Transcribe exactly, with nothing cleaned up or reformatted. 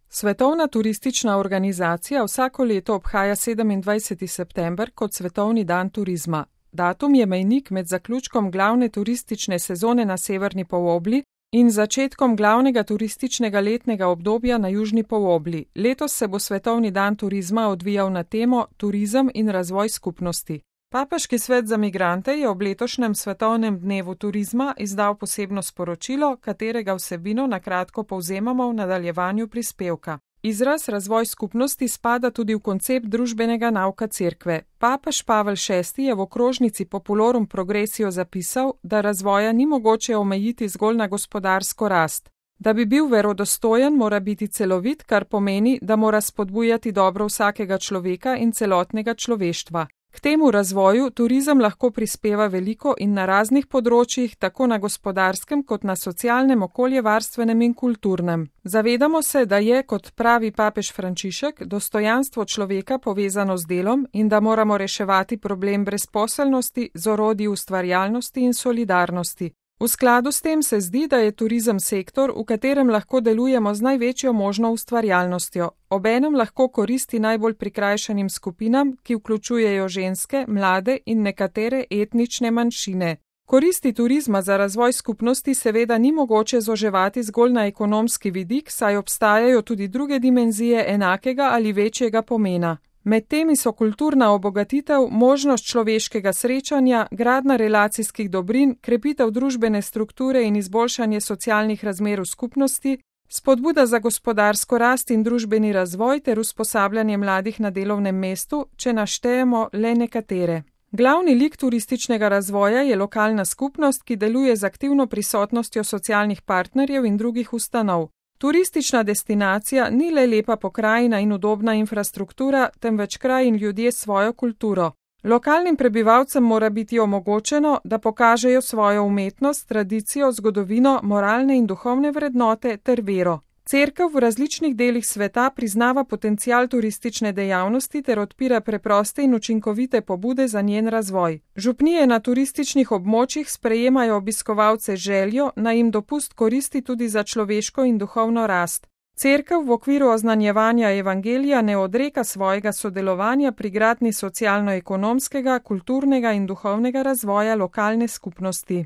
Svetovna turistična organizacija vsako leto obhaja sedemindvajseti september kot Svetovni dan turizma. Datum je mejnik med zaključkom glavne turistične sezone na severni polobli in začetkom glavnega turističnega letnega obdobja na južni polobli. Letos se bo Svetovni dan turizma odvijal na temo Turizem in razvoj skupnosti. Papeški svet za migrante je ob letošnjem Svetovnem dnevu turizma izdal posebno sporočilo, katerega vsebino na kratko povzemamo v nadaljevanju prispevka. Izraz razvoj skupnosti spada tudi v koncept družbenega nauka cerkve. Papež Pavel šesti je v okrožnici Populorum Progressio zapisal, da razvoja ni mogoče omejiti zgolj na gospodarsko rast. Da bi bil verodostojen, mora biti celovit, kar pomeni, da mora spodbujati dobro vsakega človeka in celotnega človeštva. K temu razvoju turizem lahko prispeva veliko in na raznih področjih, tako na gospodarskem kot na socialnem, okoljevarstvenem in kulturnem. Zavedamo se, da je, kot pravi papež Frančišek, dostojanstvo človeka povezano z delom in da moramo reševati problem brezposelnosti z orodji ustvarjalnosti in solidarnosti. V skladu s tem se zdi, da je turizem sektor, v katerem lahko delujemo z največjo možno ustvarjalnostjo. Obenem lahko koristi najbolj prikrajšanim skupinam, ki vključujejo ženske, mlade in nekatere etnične manjšine. Koristi turizma za razvoj skupnosti seveda ni mogoče zoževati zgolj na ekonomski vidik, saj obstajajo tudi druge dimenzije enakega ali večjega pomena. Med temi so kulturna obogatitev, možnost človeškega srečanja, gradnja relacijskih dobrin, krepitev družbene strukture in izboljšanje socialnih razmer v skupnosti, spodbuda za gospodarsko rast in družbeni razvoj ter usposabljanje mladih na delovnem mestu, če naštejemo le nekatere. Glavni lik turističnega razvoja je lokalna skupnost, ki deluje z aktivno prisotnostjo socialnih partnerjev in drugih ustanov. Turistična destinacija ni le lepa pokrajina in udobna infrastruktura, temveč kraj in ljudje s svojo kulturo. Lokalnim prebivalcem mora biti omogočeno, da pokažejo svojo umetnost, tradicijo, zgodovino, moralne in duhovne vrednote ter vero. Cerkev v različnih delih sveta priznava potencial turistične dejavnosti ter odpira preproste in učinkovite pobude za njen razvoj. Župnije na turističnih območjih sprejemajo obiskovalce željo, naj jim dopust koristi tudi za človeško in duhovno rast. Cerkev v okviru oznanjevanja evangelija ne odreka svojega sodelovanja pri gradnji socialno-ekonomskega, kulturnega in duhovnega razvoja lokalne skupnosti.